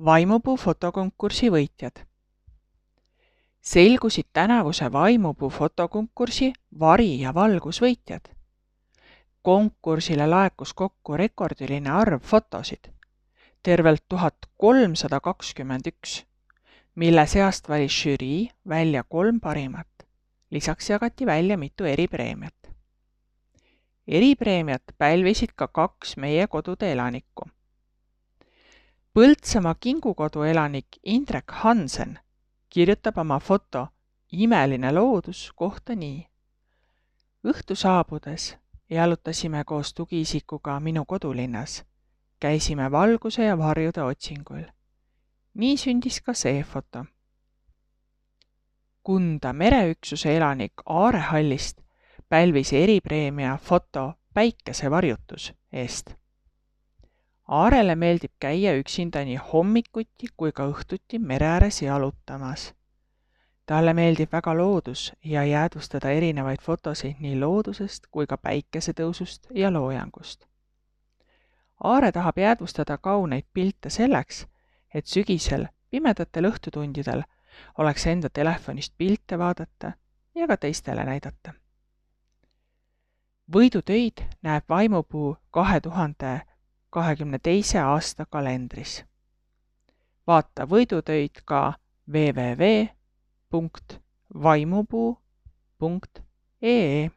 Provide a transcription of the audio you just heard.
Vaimupuu fotokonkursi võitjad. Selgusid tänavuse Vaimupuu fotokonkursi vari- ja valgusvõitjad. Konkursile laekus kokku rekordiline arv fotosid, tervelt 1321, mille seast valis žürii välja 3 parimat. Lisaks jagati välja mitu eripreemiat. Eripreemiat pälvisid ka 2 meie kodude elanikku. Põltsamaa Kingukodu elanik Indrek Hansen kirjutab oma foto Imeline loodus kohta nii. Õhtu saabudes jalutasime koos tugiisikuga minu kodulinnas. Käisime valguse ja varjude otsinguil. Nii sündis ka see foto. Kunda mereüksuse elanik Aare Hallist pälvis eripreemia foto Päikesevarjutus eest. Aarele meeldib käia üksinda nii hommikuti kui ka õhtuti mere ääres jalutamas. Talle meeldib väga loodus ja jäädvustada erinevaid fotosid nii loodusest kui ka päikesetõusust ja loojangust. Aare tahab jäädvustada kauneid pilte selleks, et sügisel pimedatel õhtutundidel oleks enda telefonist pilte vaadata ja ka teistele näidata. Võidutöid näeb Vaimupuu 2022. aasta kalendris. Vaata võidutöid ka www.vaimupuu.ee